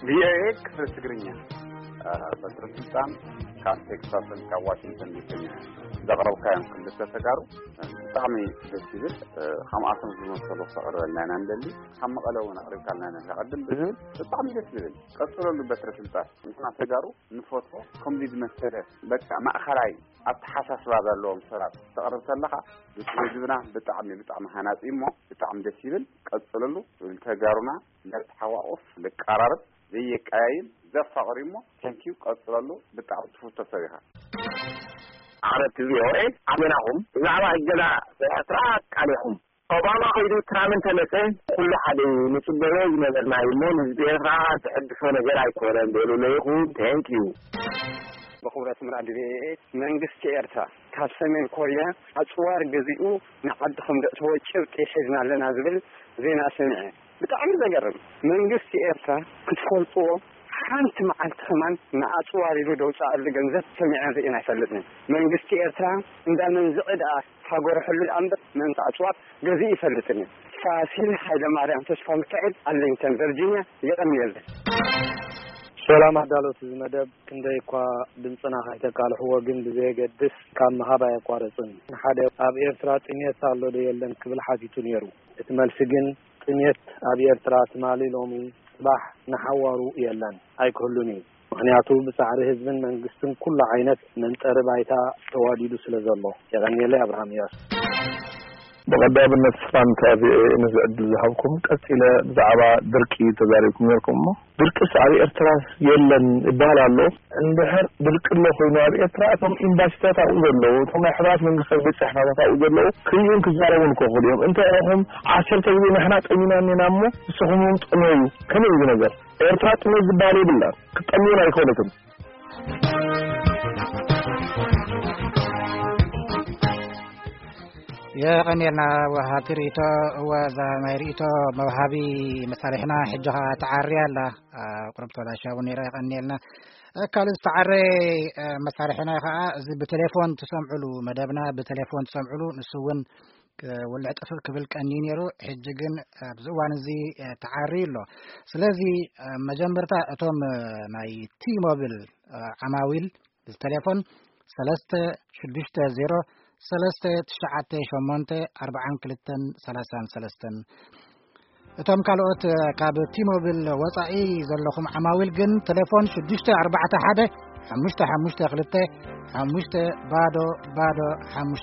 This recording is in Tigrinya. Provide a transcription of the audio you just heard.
ቪኦኤ ክፍለ ትግርኛ። በትረ ስልጣን ካብ ቴክሳስን ካብ ዋሽንግተን ዲሲን ዘቕረብካዮም ክልተ ተጋሩ ብጣዕሚ ደስ ይብል። ከምኣቶም ዝመሰሉ ክተቕርበልና ኢና ንደሊ። ካብ መቐለ እውን ኣቕሪብካልና ኢና። ቅድም ብዝብል ብጣዕሚ ደስ ዝብል፣ ቀፅለሉ። በትረ ስልጣን ንሕና ተጋሩ ንፈትዎ ከምዚ ዝመሰለ በቃ ማእኸላይ ኣተሓሳስባ ዘለዎም ሰባት ተቕርብ ተለኻ፣ ህዝብና ብጣዕሚ ብጣዕሚ ሃናፂ እሞ ብጣዕሚ ደስ ይብል። ቀፅለሉ። ንተጋሩና ነተሓቋቁፍ፣ ንቀራረብ፣ ዘየቀያይም፣ ዘፋቕር እሞ። ቴንኪዩ። ቀፅለሉ። ብጣዕሚ ትፍቶ ሰብ ኢኻ። ዓመት ቪኦኤ ኣሜናኹም። ብዛዕባ እገዳ ኤርትራ ቃሊኹም። ኦባማ ከይዱ ትራምፕ እንተመፀ ኩሉ ሓደ እዩ። ንፅበዮ ዝነበርና እዩ እሞ ንህዝቢ ኤርትራ ዝሕድሶ ነገር ኣይኮነን። በሉ ለይኹም። ቴንኪዩ። ብኽብረት ምራድ ቪኦኤ። መንግስቲ ኤርትራ ካብ ሰሜን ኮርያ ኣፅዋር ገዚኡ ንዓዲ ከም ዘእተወ ጭብጢ ሒዝና ኣለና ዝብል ዜና ሰሚዐ። ብጣዕሚ ዘገርም። መንግስቲ ኤርትራ ክትፈልጥዎ ሓንቲ መዓልቲ ከማን ንኣፅዋር ኢሉ ደውፅኣሉ ገንዘብ ሰሚዐን ርኢን ኣይፈልጥን። መንግስቲ ኤርትራ እንዳ መንዝዒ ደኣ ሃገሩ ሕሉ ደኣ እምበር ምእንቲ ኣፅዋር ገዚኡ ይፈልጥን እዩ። ፋሲል ሃይለ ማርያም ተስፋ ሚካኤል፣ ኣርሊንግተን ቨርጂኒያ። የቐንየለይ። ሰላም ኣዳለውቲ እዚ መደብ፣ ክንደይ እኳ ድምፅና ከይተቃልሕዎ ግን ብዘየገድስ ካብ ምሃብ ኣየቋረፅን። ሓደ ኣብ ኤርትራ ጥሜት ኣሎ ዶ የለን ክብል ሓቲቱ ነይሩ። እቲ መልሲ ግን ጥሜት ኣብ ኤርትራ ትማሊ ሎሚ ጽባሕ ንሓዋሩ የለን ኣይክህሉን እዩ። ምኽንያቱ ብጻዕሪ ህዝብን መንግስትን ኩሉ ዓይነት መንጠሪ ባይታ ተዋዲዱ ስለ ዘሎ። የቐንየለይ። ኣብርሃም እያሱ። ብቐዳምነት ሰላምታ ቪኦኤ ነዚ ዕድል ዝሃብኩም። ቀጺለ ብዛዕባ ድርቂ ተዛሪብኩም ነርኩም እሞ ድርቅስ ኣብ ኤርትራ የለን ይበሃል ኣሎ። እንድሕር ድርቂ ኣሎ ኮይኑ ኣብ ኤርትራ እቶም ኤምባሲታት ኣብኡ ዘለዉ፣ እቶም ናይ ሕቡራት መንግስታት ቤት ጽሕፈታት ኣብኡ ዘለዉ ክርእዩን ክዛረቡን ክኽእሉ እዮም። እንተ ኢኹም ዓሰርተ ግዜ ንሕና ጠሚና እኒና እሞ ንስኹም እውን ጥመዩ። ከመይ እዩ ነገር? ኤርትራ ጥሜት ዝበሃል የብላን። ክትጠምዩን ኣይኮነትን። የቐንየልና ወሃብቲ ርእይቶ። እወ፣ እዛ ናይ ርእይቶ መውሃቢ መሳርሕና ሕጂ ኸኣ ተዓርያ ኣላ። ቁሩብ ተበላሽያ እውን ነይራ። የቐንየልና። ካልእ ዝተዓረ መሳርሕና ኸኣ እዚ ብቴሌፎን ትሰምዕሉ መደብና ብቴሌፎን ትሰምዕሉ፣ ንሱ እውን ክውልዕ ጥፍእ ክብል ቀንዩ ነይሩ። ሕጂ ግን ኣብዚ እዋን እዚ ተዓርዩ ኣሎ። ስለዚ መጀመርታ እቶም ናይ ቲ ሞቢል ዓማዊል ብቴሌፎን ሰለስተ ሽዱሽተ ዜሮ ሰለስተ ትሽዓተ ሸሞንተ ኣርባዓን ክልተን ሰላሳን ሰለስተን። እቶም ካልኦት ካብ ቲ ሞቢል ወጻኢ ዘለኹም ዓማዊል ግን ቴሌፎን ሽዱሽተ ኣርባዕተ ሓደ ሓሙሽተ ሓሙሽተ ክልተ ሓሙሽተ ባዶ ባዶ ሓሙሽተ